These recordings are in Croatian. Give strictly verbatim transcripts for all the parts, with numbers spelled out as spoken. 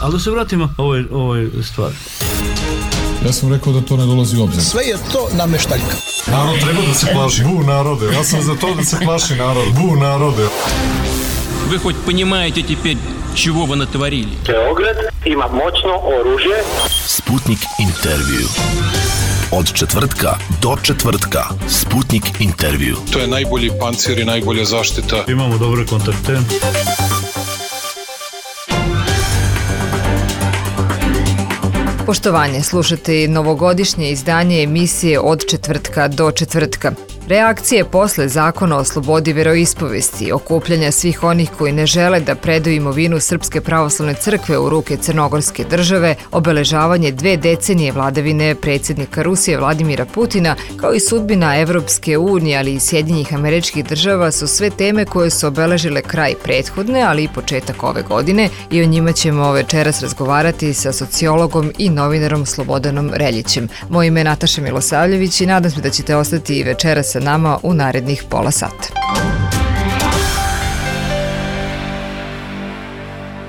Ali da se vratimo ovoj, ovoj stvari. Ja sam rekao da to ne dolazi u obzir. Sve je to nameštaljka. Narod treba da se plaši. Bu narode. Ja sam za to da se plaši narod. Bu narode. Вы хоть понимаете теперь, чего вы натворили? Beograd ima moćno oružje. Sputnik intervju. Od četvrtka do četvrtka. Sputnik intervju. To je najbolji pancir i najbolja zaštita. Imamo dobre kontakte. Poštovanje, slušate novogodišnje izdanje emisije Od četvrtka do četvrtka. Reakcije posle zakona o slobodi veroispovesti, okupljanja svih onih koji ne žele da predaju imovinu Srpske pravoslavne crkve u ruke Crnogorske države, obeležavanje dve decenije vladavine predsjednika Rusije Vladimira Putina, kao i sudbina Evropske unije, ali i Sjedinjenih Američkih Država su sve teme koje su obeležile kraj prethodne, ali i početak ove godine i o njima ćemo večeras razgovarati sa sociologom i novinarom Slobodanom Reljićem. Moje ime je Nataša Milosavljević i nadam se da ćete ostati i večeras sa nama u narednih pola sata.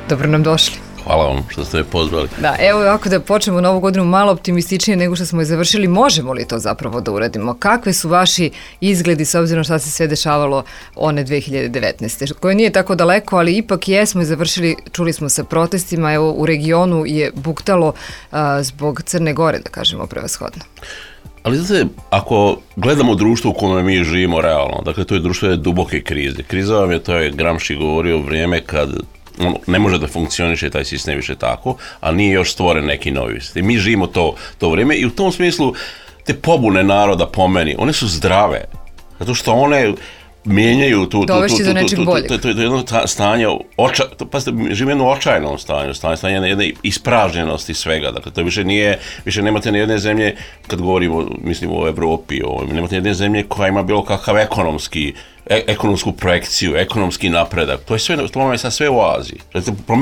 Dobro nam došli. Hvala vam što ste me pozvali. Da, evo ovako da počnemo novu godinu malo optimističnije nego što smo je završili. Možemo li to zapravo da uradimo? Kakve su vaši izgledi s obzirom šta se sve dešavalo one dve hiljade devetnaeste. koje nije tako daleko, ali ipak jesmo i završili, čuli smo sa protestima, evo u regionu je buktalo a, zbog Crne Gore, da kažemo prevashodno. Ali znate, ako gledamo društvo u kome mi živimo realno, dakle to je društvo je duboke krize. Kriza vam je, to je Gramsci govorio, vrijeme kad on ne može da funkcioniše taj sistem više tako, a nije još stvoren neki novi sistem. Mi živimo to, to vrijeme i u tom smislu te pobune naroda po meni, one su zdrave, zato što one mijenjaju tu, tu, tu, tu, tu, tu jedno stanje, oča, pa živimo jedno očajnom stanju, stanje, stanje jedne, jedne ispražnjenosti svega, dakle to više nije, više nemate ni jedne zemlje, kad govorimo, mislim o Evropi, o, nemate ni jedne zemlje koja ima bilo kakav ekonomski, e, ekonomsku projekciju, ekonomski napredak, to je sve, to vam je sad sve u Aziji.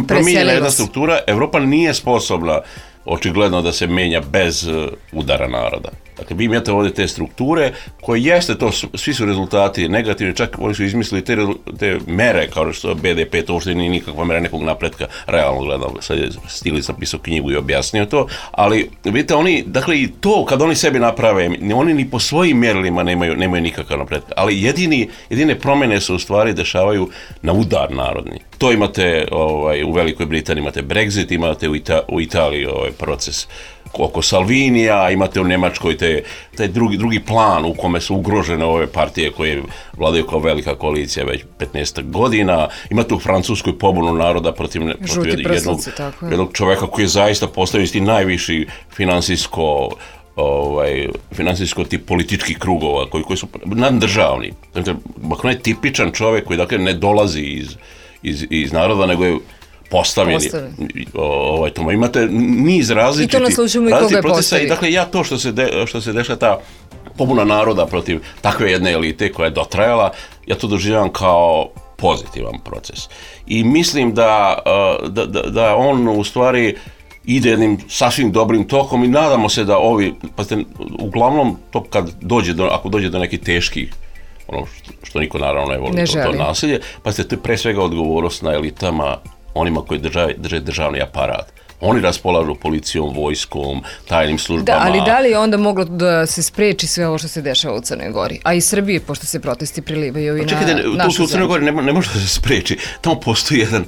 Promijenjena jedna struktura, Evropa nije sposobna očigledno da se menja bez uh, udara naroda. Dakle, vi imate ovdje te strukture koje jeste to, svi su rezultati negativni, čak oni su izmislili te, te mere kao što je B D P, to uopšte nije nikakva mera nekog napretka, realno gledam, sad je Stilica pisao knjigu i objasnio to, ali vidite, oni, dakle i to kad oni sebi naprave, oni ni po svojim mjerilima nemaju, nemaju nikakav napretka, ali jedini, jedine promjene se u stvari dešavaju na udar narodni. To imate ovaj, u Velikoj Britaniji, imate Brexit, imate u, Ita- u Italiji ovaj proces oko Salvinija, imate u Njemačkoj te, taj drugi, drugi plan u kome su ugrožene ove partije koje vladaju kao velika koalicija već petnaest godina, imate u Francuskoj pobunu naroda protiv, protiv jednog, jednog čovjeka koji je zaista postavio isti najviši finansijsko ovaj, financijsko tip političkih krugova koji, koji su naddržavni. Dakle, on je tipičan čovjek koji dakle ne dolazi iz, iz, iz naroda, nego je postavljeni. Ovaj, tamo imate niz različitih procesa i dakle ja to što se, de, što se dešava ta pobuna naroda protiv takve jedne elite koja je dotrajala, ja to doživljavam kao pozitivan proces. I mislim da, da, da, da on u stvari ide jednim sasvim dobrim tokom i nadamo se da ovi, pa ste, uglavnom to kad dođe do, ako dođe do nekih teških, ono što, što niko naravno ne voli, ne to, to nasilje, pa ste to pre svega odgovornost na elitama, onima koji drže, drže državni aparat. Oni raspolažu policijom, vojskom, tajnim službama. Da, ali da li je onda moglo da se spreči sve ovo što se dešava u Crnoj Gori? A i Srbiji, pošto se protesti prilivaju i na našu zemlju. Čekajte, u Crnoj Gori ne, ne može da se spreči. Tamo postoji jedan,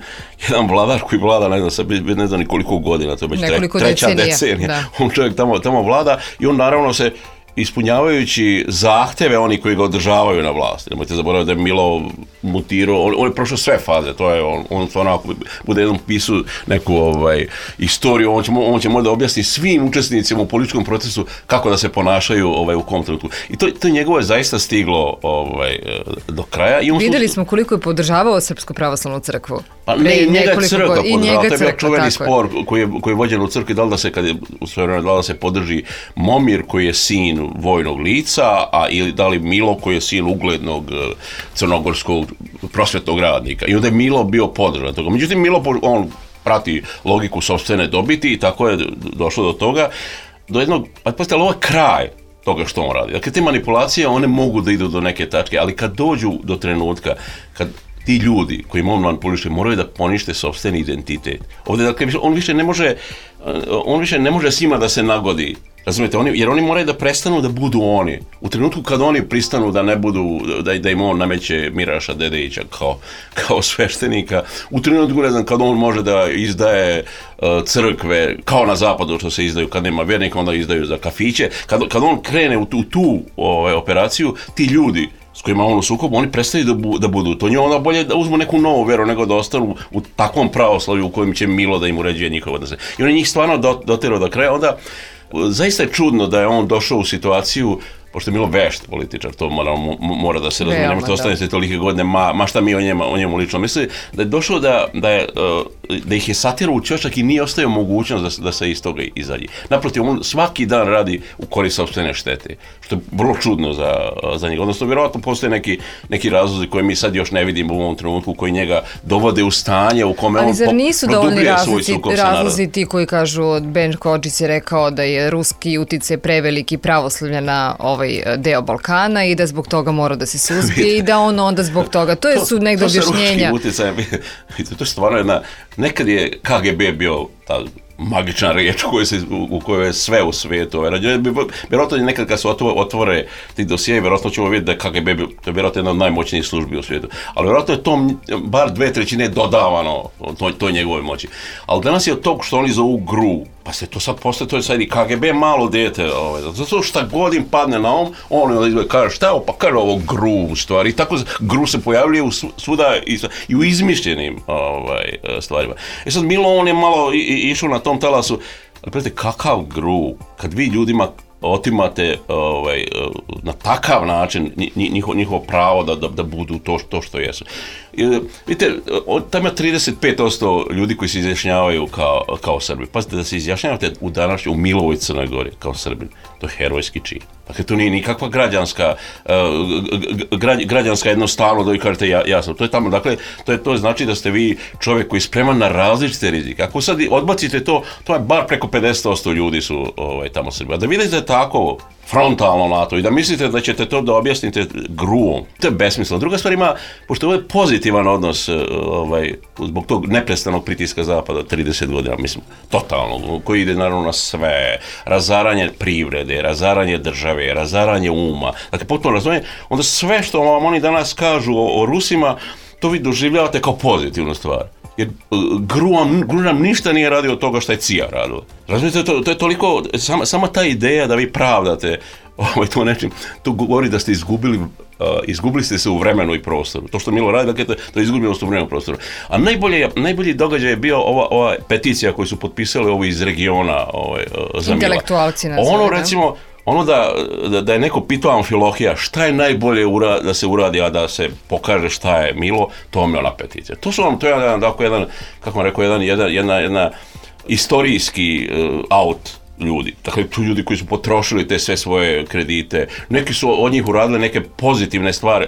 jedan vladar koji vlada, ne znam, ne znam ni koliko godina, to je već treća decenija. decenija. On čovjek tamo, tamo vlada i on naravno se ispunjavajući zahtjeve oni koji ga održavaju na vlasti. Nemojte zaboraviti da je Milo mutirao, on, on je prošao sve faze, to je on, on onako bude jednom pisu neku ovaj, istoriju, on će, on će možda objasniti svim učesnicima u političkom procesu kako da se ponašaju ovaj, u kom trenutku. I to, to njegovo je zaista stiglo ovaj, do kraja. I vidjeli smo koliko je podržavao Srpsku pravoslavnu crkvu. Pa ne, i njega je crkva podržava, to je bio čuveni spor koji je, koji je vođen u crkvi, da li da se, kad je, u sve vreme, da li da se podrži Momir koji je sin vojnog lica, a ili da li Milo koji je sin uglednog crnogorskog prosvetnog radnika. I onda je Milo bio podržan toga. Međutim, Milo, on prati logiku sopstvene dobiti i tako je došlo do toga, do jednog, pa pa ovo je kraj toga što on radi. Dakle, te manipulacije, one mogu da idu do neke tačke, ali kad dođu do trenutka, kad ti ljudi koji on manipuliše moraju da ponište sopstveni identitet. Ovdje, dakle, on više ne može, on više ne može s njima da se nagodi. Razumijete, oni, jer oni moraju da prestanu da budu oni. U trenutku kad oni pristanu da ne budu, da, da im on nameće Miraša Dedejića kao, kao sveštenika, u trenutku, ne znam, kad on može da izdaje uh, crkve, kao na zapadu što se izdaju kad nema vjernika, onda izdaju za kafiće, kad, kad on krene u tu, u tu ovaj, operaciju, ti ljudi s kojima on u sukobu, oni prestaju da, bu, da budu to. Njoj onda bolje da uzmu neku novu vjeru nego da ostanu u takvom pravoslavlju u kojem će Milo da im uređuje njihove odnose. I on je njih stvarno doterao do kraja. Onda zaista je čudno da je on došao u situaciju, pošto je Milo vešt političar, to mora, mora da se razumije, nemojte ostanete tolike godine, ma, ma šta mi o njemu, o njemu lično misli, da je došao da, da, je, da ih je satirao u ćošak i nije ostavio mogućnost da, da se iz toga izađe. Naprotiv, on svaki dan radi u korist sopstvene štete, što je vrlo čudno za, za njega. Odnosno, vjerojatno postoje neki, neki razlozi koje mi sad još ne vidimo u ovom trenutku, koji njega dovode u stanje u kome on produbljuje svoj sukob sa narodom. Razlozi ti koji kažu, Ben Hodges je rekao da je ruski uticaj preveliki pravoslavlja na ovaj deo Balkana i da zbog toga mora da se suzbije i da on onda zbog toga. To je su negdje objašnjenja. To, to sa ruskim utjecajem, to je stvarno jedna, nekad je K G B bio ta magična riječ u, se, u kojoj je sve u svijetu. Vjerojatno nekad kad se otvore ti dosije, vjerojatno ćemo vidjeti da je K G B, to je vjerojatno jedna od najmoćnijih službi u svijetu. Ali vjerojatno je to bar dve trećine dodavano toj, toj njegove moći. Ali danas je od tog što oni zovu G R U, pa se to sad postoje, to je sad i K G B malo dete, ovaj, zato šta god im padne na um, on kaže šta je ovo, pa kaže ovo G R U stvari. I tako G R U se pojavljuje u svuda i, i u izmišljenim ovaj, stvarima. E sad Milo, on je malo išao na tom talasu, ali predite, kakav G R U, kad vi ljudima otimate ovaj, na takav način njihovo, njihovo pravo da, da, da budu to, to što jesu. I, vidite, tamo je trideset pet posto ljudi koji se izjašnjavaju kao, kao Srbi. Pazite, da se izjašnjavate u današnjoj, u Milovoj Crnoj Gori kao Srbin, to je herojski čin. Dakle, to nije nikakva građanska, uh, građanska jednostavno da vi kažete ja, jasno. To je tamo, dakle, to, je, to znači da ste vi čovjek koji je spreman na različite rizike. Ako sad odbacite to, to je bar preko pedeset posto ljudi su ovaj, tamo Srbi. A da vidite tako frontalno na to i da mislite da ćete to da objasnite G R U-om, to je besmisleno. Druga stvar ima, pošto ovo je pozitivan odnos ovaj, zbog tog neprestanog pritiska Zapada trideset godina, mislim, totalno, koji ide naravno na sve, razaranje privrede, razaranje države, razaranje uma, dakle, potpuno razumije, onda sve što vam oni danas kažu o, o Rusima, to vi doživljavate kao pozitivnu stvar. Jer G R U nam ništa nije radio od toga što je C I A radila. Razumijete, to, to je toliko, sama, sama ta ideja da vi pravdate ovaj, to nečim, to govori da ste izgubili, uh, izgubili ste se u vremenu i prostoru. To što Milo radi, dakle, to, to je izgubilo se u vremenu i prostoru. A najbolje, najbolji događaj je bio ova, ova peticija koju su potpisali ovi iz regiona ovaj, uh, za Mila. Intelektualci nazove, ono, recimo, ono da, da, da je neko pitao Amfilohija šta je najbolje ura, da se uradi, a da se pokaže šta je Milo, to mi je ona peticija. To su vam, to je jedan, dakle, jedan, kako vam rekao, jedan, jedan, jedna, jedna istorijski uh, out ljudi. Dakle, tu ljudi koji su potrošili te sve svoje kredite. Neki su od njih uradili neke pozitivne stvari,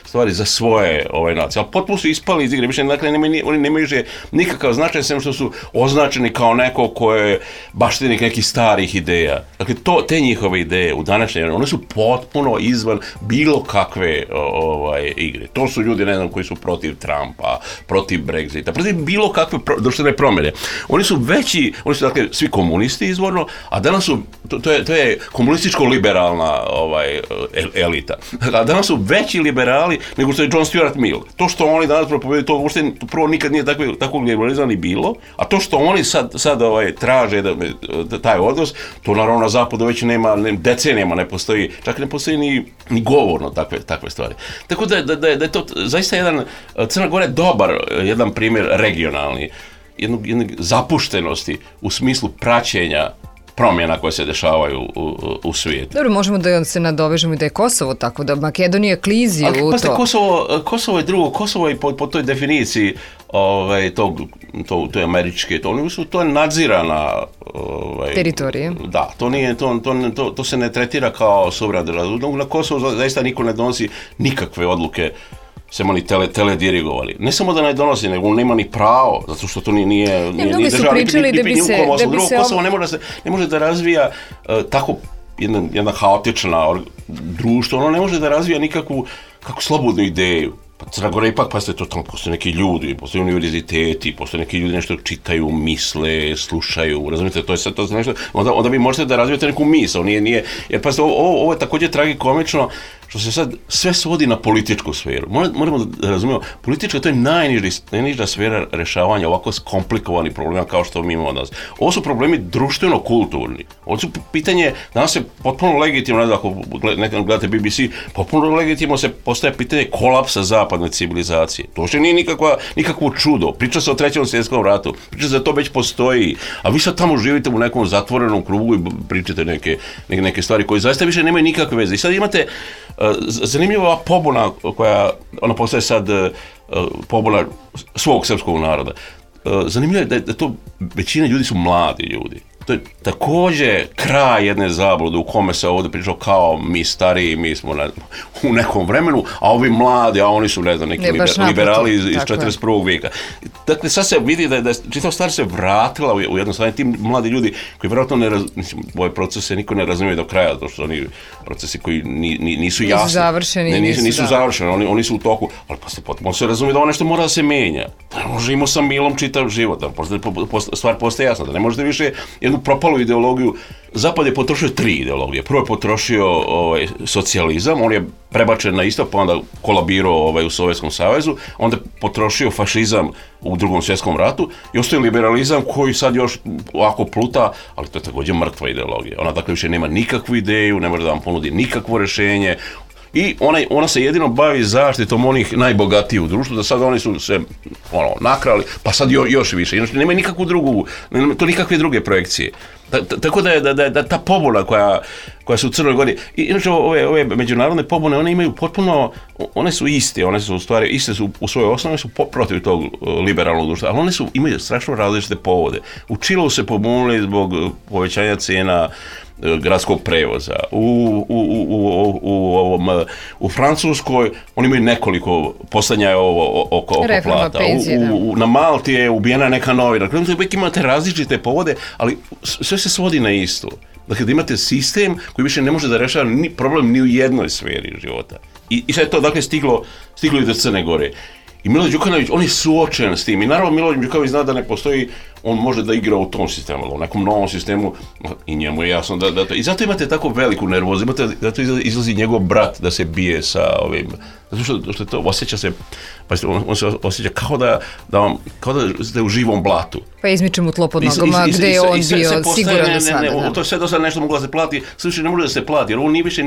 stvari za svoje ovaj, nacije, ali potpuno su ispali iz igre. Više, dakle, nemaju, oni nemaju že nikakav značaj, sem što su označeni kao neko ko je baštinik nekih starih ideja. Dakle, to, te njihove ideje u današnje vreme, one su potpuno izvan bilo kakve ovaj, igre. To su ljudi, ne znam, koji su protiv Trumpa, protiv Brexita, protiv bilo kakve pro, društvene promjene. Oni su veći, oni su, dakle, svi komunisti izvorno, a danas su, to, to je, to je komunističko-liberalna ovaj, elita, a danas su veći liberali nego što je John Stuart Mill. To što oni danas propovedaju, to uopšte prvo nikad nije takve, takvog liberalizma ni bilo, a to što oni sad, sad ovaj, traže da, da, taj odnos, to naravno na zapadu već nema, ne, decenijama ne postoji, čak ne postoji ni, ni govorno takve, takve stvari. Tako da, da, da, da je to zaista jedan, Crna Gora je dobar, jedan primjer regionalni, jednog, jednog zapuštenosti u smislu praćenja promjena koje se dešavaju u, u, u svijetu. Dobro, možemo da se nadovežemo i da je Kosovo tako, da Makedonija klizi ali, u pa, to. Kosovo, Kosovo je drugo, Kosovo je po, po toj definiciji ovaj, tog, to, to je američke, to, to je nadzirana ovaj, teritorija. Da, to, nije, to, to, to, to se ne tretira kao suverena država. Na Kosovo zaista niko ne donosi nikakve odluke, sem oni tele, teledirigovali. Ne samo da ne donosi, nego nema ni pravo, zato što to nije, nije, nije ni država, ni, ni, ni, ni, ni drugo se Kosovo ob... ne, može se, ne može da razvija uh, tako jedna, jedna haotična or, društvo, ono ne može da razvija nikakvu kako slobodnu ideju. Pa Crna Gora ipak, pa ste to tamo, postoje neki ljudi, postoje univerziteti, postoje neki ljudi nešto čitaju, misle, slušaju, razumijete, to je sad to nešto, onda, onda vi možete da razvijete neku misao, nije, nije, jer pa ovo, ovo je također tragikomično, što se sad sve svodi na političku sferu. Moramo da razumijemo, politička to je najniži, najniža sfera rešavanja ovako komplikovanih problema kao što mi imamo danas. Ovo su problemi društveno-kulturni. Ovo su pitanje, danas je potpuno legitimno, ne ako gledate B B C, potpuno legitimno se postaje pitanje kolapsa zapadne civilizacije. To što nije nikakva, nikakvo čudo. Priča se o trećem svjetskom ratu, priča se da to već postoji, a vi sad tamo živite u nekom zatvorenom krugu i pričate neke, neke, neke stvari koje zaista više nemaju nikakve veze. I sad imate zanimljiva ova pobuna koja, ona postaje sad pobuna svog srpskog naroda. Zanimljivo je da, da to većina ljudi su mladi ljudi. To je također kraj jedne zablude u kome se ovdje pričao kao mi stariji, mi smo ne, u nekom vremenu, a ovi mladi, a oni su ne znam, neki ne, liber, liberali iz, iz četrdeset prvog vijeka. Dakle, sad se vidi da je, da je čitava stvar se vratila u, u jedno stanje, ti mladi ljudi koji vjerojatno ne razumiju, mislim, ove procese niko ne razumije do kraja, zato što oni procesi koji ni, ni, nisu jasni. Nisu završeni. Ne, nisu, nisu da. završeni, oni, oni su u toku, ali posle potpuno se razumije da ovo nešto mora da se menja. Da ne možemo sa milom čitav život, da stvar postaje jasna, da ne možete više jednu propalu ideologiju. Zapad je potrošio tri ideologije. Prvo je potrošio ovaj, socijalizam, on je prebačen na istok, pa onda kolabirao ovaj, u Sovjetskom savezu, onda je potrošio fašizam u drugom svjetskom ratu i ostaje liberalizam koji sad još ovako pluta, ali to je također mrtva ideologija. Ona dakle više nema nikakvu ideju, ne može da vam ponudi nikakvo rješenje. I ona, ona se jedino bavi zaštitom onih najbogatijih u društvu, da sad oni su se ono, nakrali, pa sad jo, još više. Inače, nema nikakvu drugu, nema to nikakve druge projekcije. Ta, ta, tako da je da, da, da ta pobuna koja, koja su u Crnoj Gori, i inače ove, ove međunarodne pobune, one imaju potpuno, one su iste, one su u stvari, iste su u svojoj osnovi, su po, protiv tog liberalnog društva, ali one su, imaju strašno različite povode. U Čilu se pobunili zbog povećanja cijena gradskog prevoza. U, u, u, u, u, ovom, u Francuskoj oni imaju nekoliko postanja oko, oko plata. Penzije, u, u, na Malti je ubijena neka novina. Dakle, uvijek imate različite povode, ali sve se svodi na isto. Dakle, da imate sistem koji više ne može da rešava ni problem ni u jednoj sferi života. I, i sad je to dakle stiglo, stiglo i do Crne Gore. I Milo Đukanović, on je suočen s tim. I naravno Milo Đukanović zna da ne postoji, on može da igra u tom sistemu, ali u nekom novom sistemu i njemu je jasno da, da to... I zato imate tako veliku nervozu, imate, zato izlazi njegov brat da se bije sa ovim... Zato što, što to osjeća se, pa on, on se osjeća kao da, da, vam, kao da ste u živom blatu. Pa izmiče mu tlo pod nogama, gde je on bio siguran do sada. Ne, ne, to je sve do sada nešto moglo da se plati, sve više ne može da se plati, jer ovo nije više,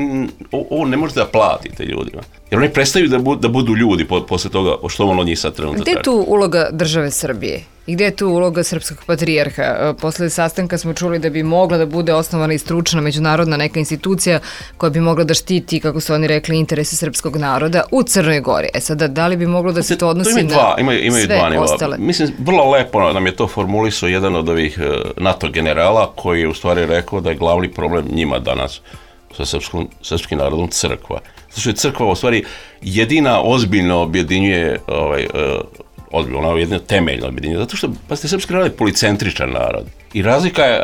ovo ne možete da platite ljudima. Jer oni prestaju da, bu, da budu ljudi po, posle toga što on od njih sad trenutno traži. Gde je tu uloga države Srbije? I gde je tu uloga srpskog patrijarha? Posle sastanka smo čuli da bi mogla da bude osnovana i stručna međunarodna neka institucija koja bi mogla da štiti, kako su oni rekli, interese srpskog naroda u Crnoj Gori. E sada, da li bi moglo da se to odnosi to dva, na imaju, imaju sve dva ostale? Mislim, vrlo lepo nam je to formulisao jedan od ovih NATO generala koji je u stvari rekao da je glavni problem njima danas sa srpskom, srpskim narodom crkva. Zato što je crkva u stvari jedina ozbiljno objedinjuje ovaj, odbilo, ona je jedna temeljna objedinjenja, zato što, pa ste, srpski narod je policentričan narod. I razlika je,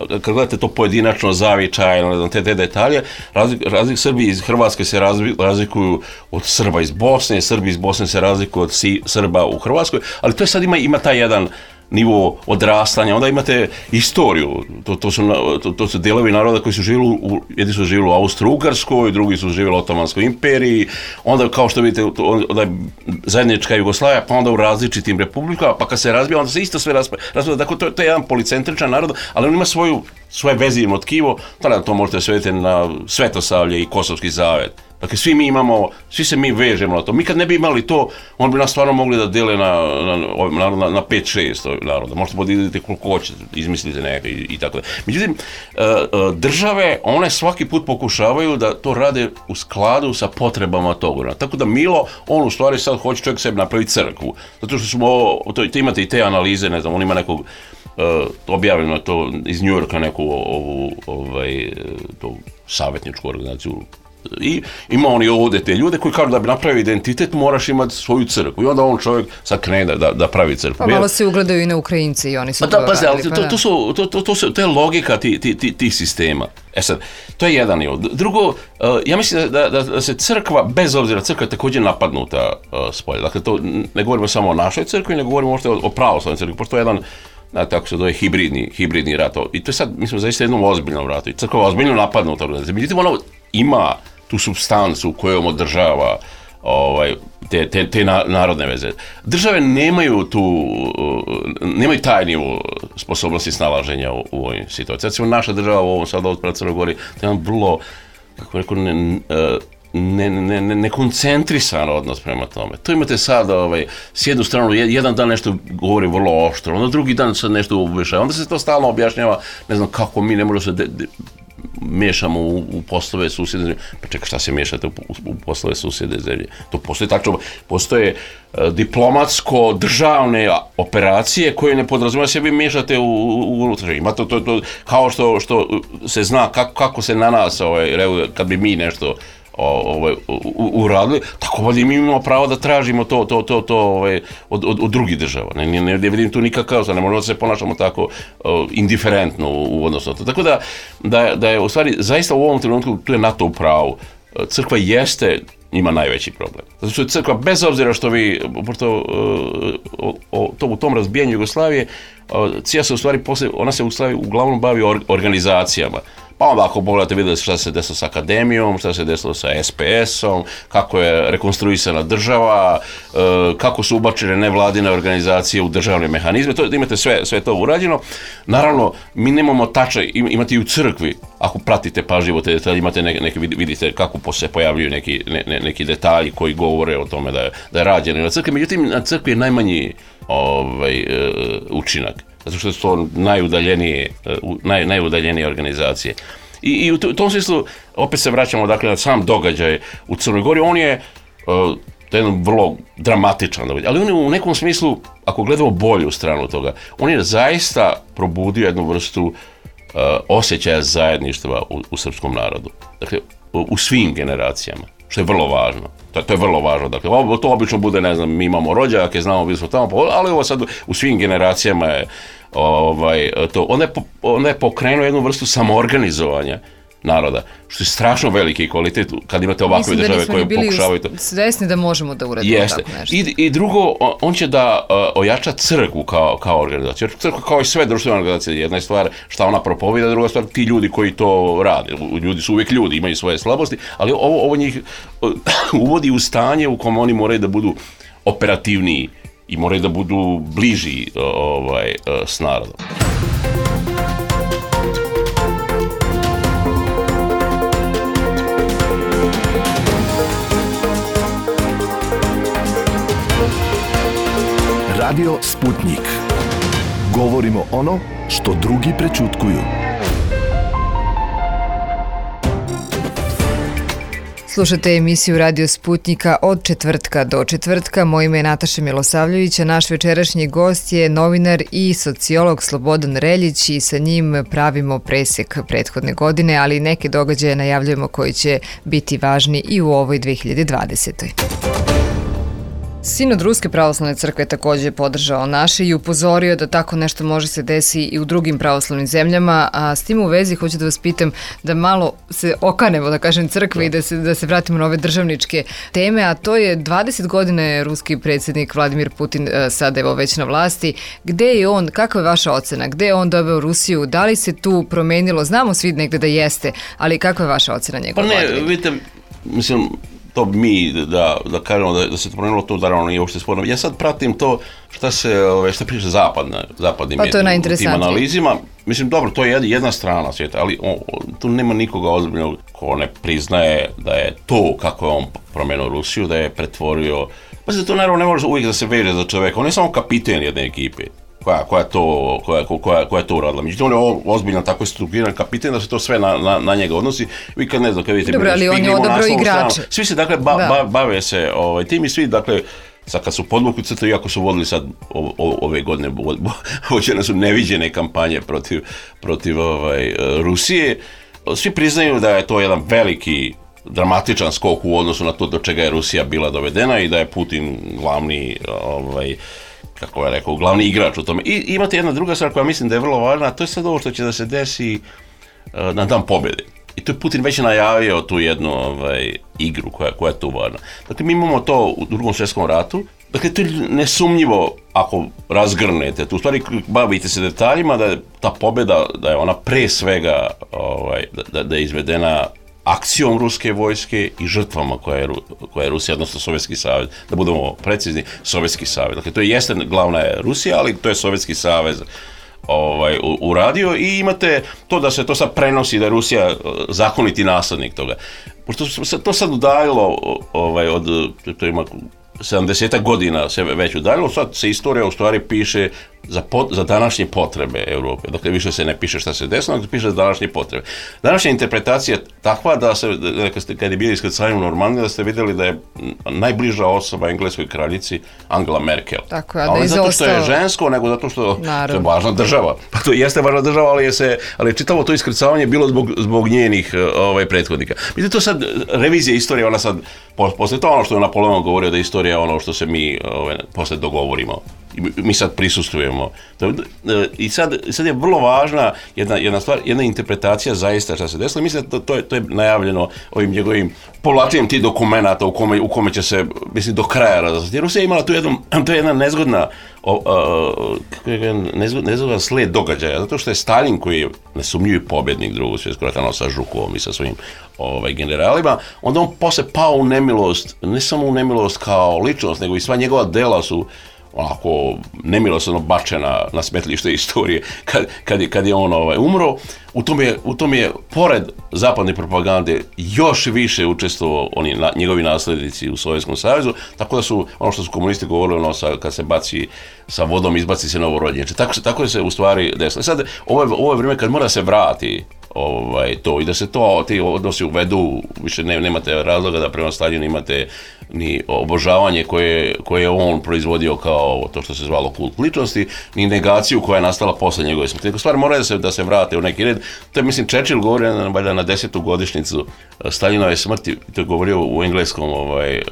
kad gledate to pojedinačno, zavičajno, ne znam, te, te detalje, razlik, razlik Srbi iz Hrvatske se razlikuju od Srba iz Bosne, Srbi iz Bosne se razlikuju od si, Srba u Hrvatskoj, ali to je sad ima, ima taj jedan nivo odrastanja, onda imate istoriju, to, to, su, to, to su delovi naroda koji su živjeli, u, jedni su živjeli u Austro-Ugarskoj, drugi su živjeli u Otomanskoj imperiji, onda kao što vidite, onda je zajednička Jugoslavija, pa onda u različitim republikama, pa kad se razbija, onda se isto sve razbija, dakle to, to je jedan policentričan narod, ali on ima svoju, svoje vezivno tkivo, tada to možete svetiti na Svetosavlje i Kosovski zavet. Dakle, svi mi imamo, svi se mi vežemo na to. Mi kad ne bi imali to, on bi nas stvarno mogli da dele na, na, na, na pet šest naroda. Možete podijeliti koliko hoćete, izmislite neke i, i tako da. Međutim, države, one svaki put pokušavaju da to rade u skladu sa potrebama toga. Tako da Milo, on u stvari sad hoće čovjek sebi napraviti crkvu. Zato što smo, to, to imate i te analize, ne znam, on ima nekog, uh, objavljeno to iz New Yorka, neku ovu, ovaj, to savjetničku organizaciju I ima oni ovdje te ljude koji kažu da bi napravio identitet moraš imati svoju crkvu. I onda on čovjek sad krene da, da pravi crkvu. Pa malo se ugledaju i na Ukrajinci i oni su pa to da, pa radili. To, to, su, to, to, to, su, to je logika tih ti, ti, ti sistema. E sad, to je jedan nivo. Drugo, ja mislim da, da, da se crkva, bez obzira, crkva je također napadnuta s polja. Dakle, to ne govorimo samo o našoj crkvi, ne govorimo možda o, o pravoslavnoj crkvi, pošto je jedan, da, tako se zove, hibridni, hibridni rat. I to je sad, mislim, zaista jednom ozbiljnom ratu. I crkva je ozbiljno napadnuta. Međutim, ona ima tu supstancu kojom održava ovaj, te, te, te narodne veze. Države nemaju tu, nemaju taj nivo sposobnosti snalaženja u, u ovoj situaciji. Recimo, naša država u ovom sada od Crnoj Gori, to je jedan vrlo, kako rekao, ne, ne, ne, ne, nekoncentrisan odnos prema tome. To imate sad, ovaj, s jednu stranu, jedan dan nešto govori vrlo oštro, onda drugi dan sad nešto ubešava, onda se to stalno objašnjava, ne znam kako mi ne možemo se de, de, miješamo u, u poslove susjedne zemlje. Pa čekaj, šta se miješate u, u poslove susjedne zemlje? To postoje tako, postoje uh, diplomatsko-državne operacije koje ne podrazumijeva se vi miješate u, u, u ima to, to, to, kao što, što se zna kako, kako se na nas, ovaj, kad bi mi nešto ovaj, uradili, tako ovdje mi imamo pravo da tražimo to, to, to, to ovaj, od, od, od drugih država. Ne, ne, ne vidim tu nikakav, ne možemo da se ponašamo tako uh, indiferentno u, u odnosu na to. Tako da, da, da je u stvari, zaista u ovom trenutku tu je NATO u pravu. Crkva jeste, ima najveći problem. Zato što je crkva, bez obzira što vi, pošto uh, o, to, u tom razbijanju Jugoslavije, uh, cija se u stvari, poslije, ona se u stvari uglavnom bavi or, organizacijama. Pa onda ako pogledate vidjeli šta se desilo sa akademijom, šta se desilo sa es pe esom, kako je rekonstruisana država, kako su ubačene nevladine organizacije u državne mehanizme, to, imate sve, sve to urađeno. Naravno, mi nemamo tačaj, imate i u crkvi, ako pratite pažljivo te detalje, imate neke, neke, vidite kako se pojavljuju neki, ne, ne, neki detalji koji govore o tome da je, da je rađeno na crkvi, međutim na crkvi je najmanji ovaj, učinak. Zato što su to najudaljenije, naj, najudaljenije organizacije. I, i u tom smislu, opet se vraćamo dakle, na sam događaj u Crnoj Gori, on je uh, jedan vrlo dramatičan događaj, ali on je u nekom smislu, ako gledamo bolju stranu toga, on je zaista probudio jednu vrstu uh, osjećaja zajedništva u, u srpskom narodu. Dakle, u, u svim generacijama, što je vrlo važno. To, to je vrlo važno. Dakle, to obično bude, ne znam, mi imamo rođake, znamo, bili smo tamo, ali ovo sad u svim generacijama je ovaj, to. Onda je, onda je pokrenuo jednu vrstu samoorganizovanja naroda, što je strašno veliki kvalitet kad imate ovakve Mislim države koje pokušavaju to. Svesni da možemo da uradimo Jeste. tako nešto. I, I drugo, on će da uh, ojača crkvu kao, kao organizaciju. Jer crkva kao i sve društvene organizacije, jedna je stvar šta ona propovida, druga stvar ti ljudi koji to rade. Ljudi su uvijek ljudi, imaju svoje slabosti, ali ovo, ovo njih uh, uvodi u stanje u kojem oni moraju da budu operativniji i moraju da budu bliži uh, ovaj, uh, s narodom. Radio Sputnik. Govorimo ono što drugi prećutkuju. Slušate emisiju Radio Sputnika od četvrtka do četvrtka. Moje ime je Nataša Milosavljević, a naš večerašnji gost je novinar i sociolog Slobodan Reljić i sa njim pravimo presek prethodne godine, ali neke događaje najavljujemo koji će biti važni i u ovoj dve hiljade dvadesetoj. Sinod Ruske pravoslavne crkve također je podržao naše i upozorio da tako nešto može se desi i u drugim pravoslavnim zemljama, a s tim u vezi hoću da vas pitam da malo se okanemo, da kažem, crkve i da se, da se vratimo na ove državničke teme, a to je dvadeset godina je ruski predsjednik Vladimir Putin sada evo već na vlasti. Gde je on, kakva je vaša ocena, gde je on doveo Rusiju, da li se tu promenilo, znamo svi negde da jeste, ali kakva je vaša ocena njegova? Pa ne, vladavine? Vidite, mislim, to mi da, da kažemo da, da se to promenilo, to naravno nije uopšte sporno. Ja sad pratim to šta se, šta priča zapadna, zapadnim pa to je u tim analizima. Mislim, dobro, to je jedna strana svijeta, ali o, o, tu nema nikoga ozbiljnog ko ne priznaje da je to kako je on promenio Rusiju, da je pretvorio. Pa se to naravno ne može uvijek da se veže za čoveka, on je samo kapiten jedne ekipe. Koja, koja, to, koja, koja, koja je to uradila. Međutim, on je ozbiljno tako strukturiran kapiten da se to sve na, na, na njega odnosi. Vi kad ne znam, kad vidite... Dobro, ali on je odabro igrače. Svi se, dakle, ba, ba, bave se ovaj, tim i svi, dakle, sad kad su podvukli crtu, iako su vodili sad o, o, ove godine, vođene su neviđene kampanje protiv, protiv ovaj, Rusije, svi priznaju da je to jedan veliki dramatičan skok u odnosu na to do čega je Rusija bila dovedena i da je Putin glavni, ovaj, kako je rekao, glavni igrač u tome. I imate jedna druga stvar koja mislim da je vrlo važna, a to je sad ovo što će da se desi uh, na dan pobjede. I to je Putin već najavio tu jednu ovaj, igru koja, koja je tu važna. Dakle, mi imamo to u Drugom svjetskom ratu. Dakle, to je nesumnjivo ako razgrnete. Tu u stvari bavite se detaljima da je ta pobjeda, da je ona pre svega ovaj, da, da je izvedena akcijom ruske vojske i žrtvama koje je, koje je Rusija, odnosno Sovjetski savez, da budemo precizni, Sovjetski savez. Dakle, to je jeste glavna je Rusija, ali to je Sovjetski savez ovaj, uradio i imate to da se to sad prenosi, da je Rusija zakoniti naslednik toga. Pošto se to sad udaljilo ovaj, od, to ima sedamdeset godina se već udaljilo, sad se istorija u stvari piše za, pot, za današnje potrebe Europe. Dakle, više se ne piše šta se desilo, nego se piše za današnje potrebe. Današnja interpretacija je takva da se, kad je bilo iskrcanje u Normandiji, da ste vidjeli da je najbliža osoba engleskoj kraljici Angela Merkel. Tako, a da ne zato što je žensko, nego zato što je važna država. Pa to jeste važna država, ali je, se, ali je čitavo to iskrcavanje bilo zbog, zbog njenih ovaj, prethodnika. Mislim, to sad, revizija istorije, ona sad, posle to ono što je Napoleon govorio, da je istorija ono što se mi ovaj, posle dogovorimo. Mi sad prisustvujemo. I sad, sad je vrlo važna jedna, jedna stvar, jedna interpretacija zaista šta se desilo. Mislim da to, to, je, to je najavljeno ovim njegovim povlačenjem tih dokumenata u kome, u kome će se, mislim, do kraja razviti. Jer Rusija je imala tu jednu, to je jedna nezgodna, o, a, kako je nezgod, nezgodan sled događaja, zato što je Stalin, koji je nesumnjivi pobjednik Drugog svjetskog rata, sa Žukovom i sa svojim ovaj, generalima, onda on posle pao u nemilost, ne samo u nemilost kao ličnost, nego i sva njegova dela su onako nemilosrdno bačena na smetlište istorije kad, kad, je, kad je on ovaj, umro. U tom, je, u tom je, pored zapadne propagande, još više učestvovao oni, na, njegovi naslednici u Sovjetskom savezu, tako da su, ono što su komunisti govorili, ono sa, kad se baci sa vodom, izbaci se novorođenče. Tako, tako se u stvari desilo. Sad, ovo je, ovo je vrijeme kad mora se vrati ovaj, to i da se to, ti odnosi uvedu, više ne, nemate razloga da prema Staljinu imate ni obožavanje koje, koje je on proizvodio kao to što se zvalo kult ličnosti, ni negaciju koja je nastala posle njegove smrti. Nego stvari moraju da se, da se vrate u neki red. To je, mislim, Churchill govorio na, na desetu godišnjicu Staljinove smrti, to je govorio u engleskom ovaj,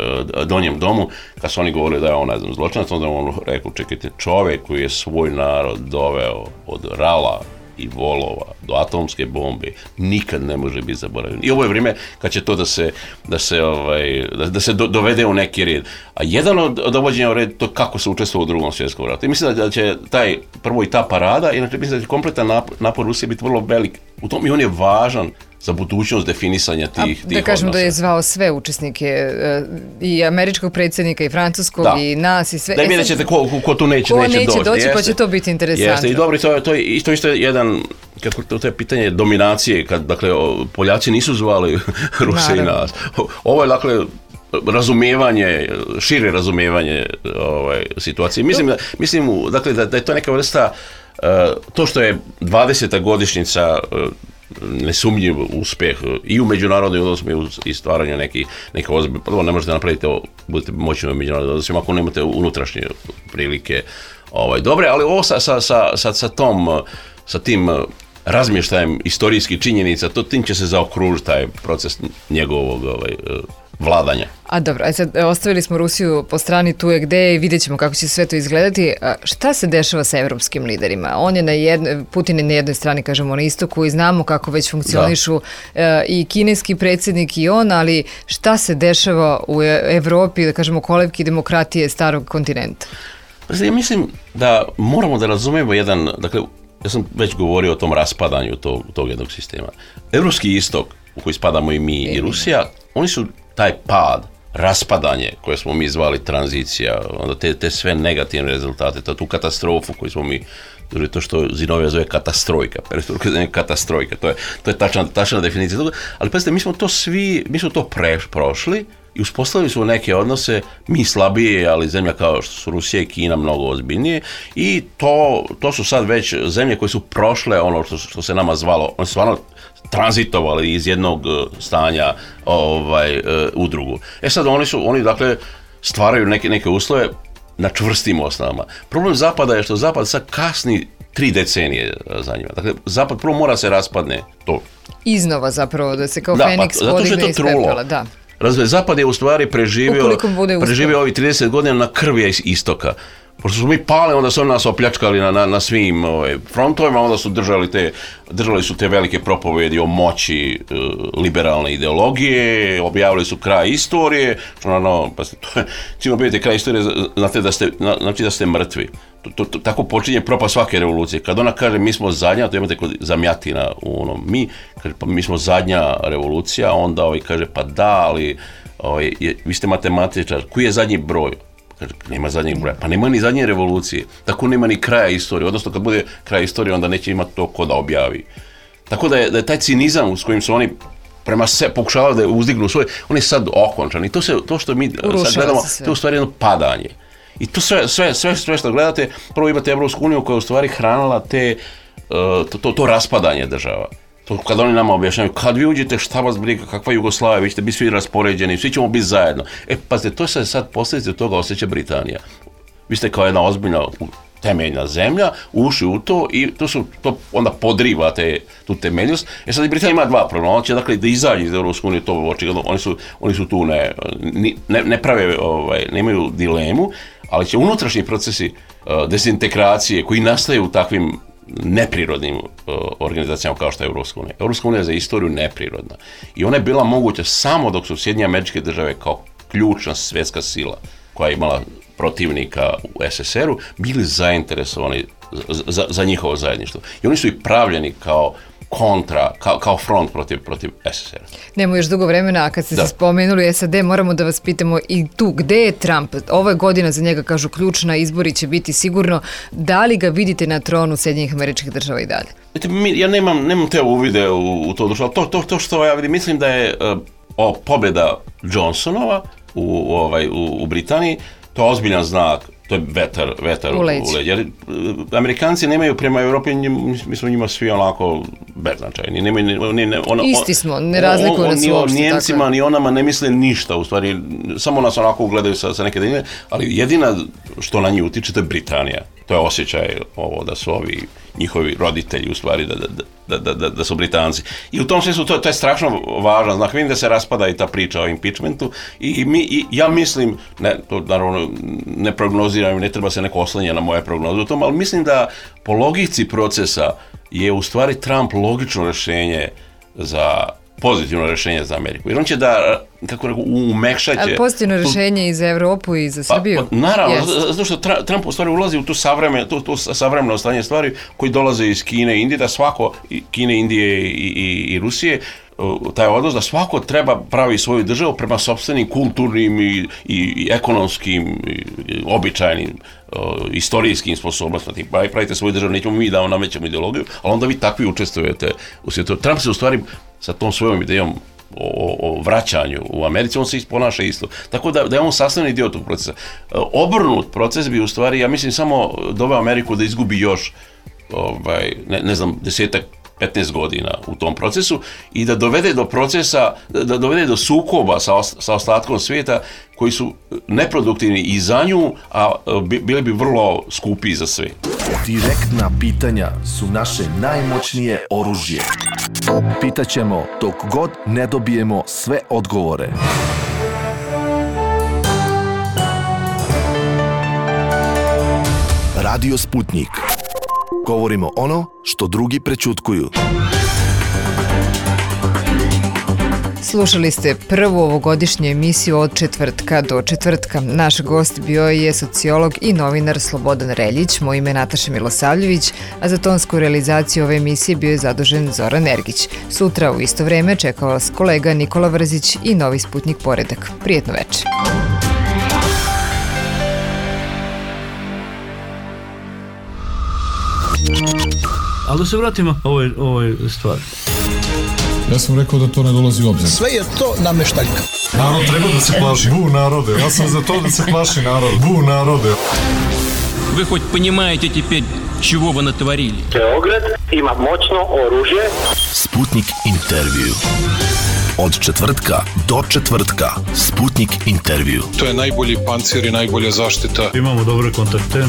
donjem domu, kad su oni govorili da je on, ne znam, zločinac, onda on rekao, čekajte, čovjek koji je svoj narod doveo od rala i volova do atomske bombe nikad ne može biti zaboravljen. I ovo je vrijeme kad će to da se, da se, ovaj, da, da se do, dovede u neki red. A jedan od dovođenja u red to kako se učestvuje u Drugom svjetskom ratu. I mislim da će taj, prvo i ta parada, inače mislim da će kompletan napor, napor Rusije biti vrlo velik u tom i on je važan za budućnost definisanja tih, tih odnosa. Da kažem da je zvao sve učesnike, i američkog predsjednika, i francuskog, da. I nas, i sve. Da vidjet ćete ko, ko tu neće, ko neće, neće doći. doći jeste, pa će to biti interesantno. Jeste, i dobro, to, to je isto, isto jedan, kako to, to je pitanje dominacije, kad, dakle, Poljaci nisu zvali Ruse i nas. Ovo je, dakle, razumijevanje, šire razumijevanje ovaj, situacije. Mislim, da, mislim dakle, da, da je to neka vrsta, uh, to što je dvadeseta godišnjica uh, nesumnjiv uspjeh i u međunarodnim odnosima i stvaranju nekih neke ozbiljne. Prvo, ne možete napraviti ovo, budete moćni u međunarodnim odnosima ako nemate unutrašnje prilike ovaj, dobre, ali ovo sa, sa, sa, sa, sa, tom, sa tim razmještajem istorijskih činjenica, to tim će se zaokružiti taj proces njegovog ovaj, vladanja. A dobro, aj sad ostavili smo Rusiju po strani, tu je gde je i vidjet ćemo kako će sve to izgledati. A šta se dešava sa evropskim liderima? On je na jednoj, Putin je na jednoj strani, kažemo, na istoku i znamo kako već funkcionišu e, i kineski predsjednik i on, ali šta se dešava u Evropi, da kažemo, kolevki demokratije starog kontinenta? Ja mislim da moramo da razumemo jedan, dakle, ja sam već govorio o tom raspadanju tog, tog jednog sistema. Evropski istok, u koji spadamo i mi i Rusija, oni su taj pad, raspadanje koje smo mi zvali tranzicija, onda te, te sve negativne rezultate, to, tu katastrofu koju smo mi, to što Zinovija zove katastrojka, katastrojka, to je, to je tačna, tačna definicija toga, ali pazite, mi smo to svi, mi smo to pre, prošli i uspostavili su neke odnose, mi slabije, ali zemlja kao što su Rusija i Kina mnogo ozbiljnije i to, to su sad već zemlje koje su prošle ono što, što se nama zvalo, oni su stvarno tranzitovali iz jednog stanja ovaj, u drugu. E sad oni su, oni dakle stvaraju neke, neke uslove na čvrstim osnovama. Problem Zapada je što Zapad sad kasni tri decenije za njima. Dakle, Zapad prvo mora se raspadne to. Iznova zapravo, da se kao da, Feniks pa, podigne iz pepela, da. Razumije, Zapad je u stvari preživio, preživio ovih trideset godina na krvi istoka. Pošto su mi pali, onda su oni nas opljačkali na, na, na svim ovaj, frontovima, onda su držali, te, držali su te velike propovedi o moći e, liberalne ideologije, objavili su kraj istorije, što naravno, pa ste, to je, čim objavite kraj istorije, znate da ste, znači da ste mrtvi. To, to, to, tako počinje propast svake revolucije. Kad ona kaže mi smo zadnja, to imate kod Zamjatina u onom mi, kaže pa mi smo zadnja revolucija, onda ovaj kaže pa da, ali ovaj, je, vi ste matematičar, koji je zadnji broj? Kaže, nema zadnjeg broja. Pa nema ni zadnje revolucije. Tako nema ni kraja istorije. Odnosno, kad bude kraj istorije, onda neće imati to ko da objavi. Tako da je, da je taj cinizam s kojim su oni prema se pokušavali da uzdignu svoje, on je sad okončan. I to, se, to što mi Urušava sad gledamo, to je u stvari jedno padanje. I to sve, sve, sve, sve što gledate, prvo imate Evropsku uniju koja je u stvari hranila te, uh, to, to, to raspadanje država. To kad oni nama objašnjavaju, kad vi uđete, šta vas briga, kakva Jugoslavija, vi ćete biti svi raspoređeni, svi ćemo biti zajedno. E, pazite, to se sad posljedice toga osjeća Britanija. Vi ste kao jedna ozbiljna temeljna zemlja, ušli u to i to su, to onda podriva te, tu temeljnost. E sad i Britanija ima dva problema, ona će dakle da izađe iz Europske unije, to očigledno, oni su, oni su tu ne, ne, ne prave, ovaj, nemaju dilemu, ali će unutrašnji procesi uh, dezintegracije koji nastaju u takvim neprirodnim uh, organizacijama kao što je Europska unija. Europska unija je za istoriju neprirodna. I ona je bila moguća samo dok su Sjedinjene Američke Države kao ključna svjetska sila koja je imala protivnika u es es er u bili zainteresovani za, za njihovo zajedništvo. I oni su i pravljeni kao kontra, kao, kao front protiv, protiv es es er a. Nemo još dugo vremena, a kad ste da. se spomenuli es a de, moramo da vas pitamo i tu, gde je Trump? Ova je godina za njega, kažu, ključna, izbori će biti sigurno. Da li ga vidite na tronu Sjedinjenih Američkih Država i dalje? Mi, ja nemam, nemam te uvide u, u to dušu, ali to, to, to što ja vidim, mislim da je uh, o, pobjeda Johnsonova u, u, ovaj, u, u Britaniji, to je ozbiljan znak. To je vetar, vetar u leđ. Jer Amerikanci nemaju prema Europi, mi smo njima svi onako beznačajni. Nemaju, ni, ne, ona, Isti smo, ne razlikuju nas uopšte. Ni o Njemcima, ni onama ne misle ništa, u stvari, samo nas onako ugledaju sa, sa neke daljine, ali jedina što na njih utiče, to je Britanija. To je osjećaj ovo da su ovi njihovi roditelji u stvari da, da, da, da, da su Britanci. I u tom smislu to, to je strašno važno znak. Vidim da se raspada i ta priča o impeachmentu i, mi, i ja mislim, ne, to naravno ne prognoziram, ne treba se neko oslanjati na moje prognoze u tom, ali mislim da po logici procesa je u stvari Trump logično rješenje za pozitivno rješenje za Ameriku. Jer on će da, kako rekao, umekšat će... Ali pozitivno rješenje i za Evropu i za Srbiju? Pa, pa, naravno, yes. zato što Trump u stvari ulazi u tu savremeno, tu, tu savremeno stanje stvari koji dolaze iz Kine i Indije, da svako, Kine, Indije i, i, i Rusije, taj odnos da svako treba pravi svoju državu prema sopstvenim kulturnim i, i, i ekonomskim, i, običajnim, uh, istorijskim sposobnostima. Pa pravite svoju državu, nećemo mi da vam namećemo ideologiju, ali onda vi takvi učestvujete u svijetu. Trump se u stvari sa tom svojom idejom o, o vraćanju u Americi, on se ponaša isto. Tako da, da je on sastavni dio tog procesa. Uh, obrnut proces bi u stvari, ja mislim, samo doveo Ameriku da izgubi još, ovaj, ne, ne znam, desetak petnaest godina u tom procesu i da dovede do procesa, da dovede do sukoba sa, sa ostatkom svijeta koji su neproduktivni i za nju, a bili bi vrlo skupi za sve. Direktna pitanja su naše najmoćnije oružje. Pitaćemo dok god ne dobijemo sve odgovore. Radio Sputnik. Govorimo ono što drugi prećutkuju. Slušali ste prvu ovogodišnju emisiju od četvrtka do četvrtka. Naš gost bio je sociolog i novinar Slobodan Reljić, moje ime je Nataša Milosavljević, a za tonsku realizaciju ove emisije bio je zadužen Zoran Ergić. Sutra u isto vreme čekao vas kolega Nikola Vrzić i Novi Sputnik Poredak. Prijetno večer. Ali da se vratimo ovoj, ovoj stvari. Ja sam rekao da to ne dolazi u obzir. Sve je to nameštaljka. Narod treba da se plaši. Bu narode. Ja sam za to da se plaši narod. Bu narode. Вы хоть понимаете теперь, чего вы натворили? Beograd ima moćno oružje. Sputnik intervju. Od četvrtka do četvrtka. Sputnik intervju. To je najbolji pancir i najbolja zaštita. Imamo dobre kontakte.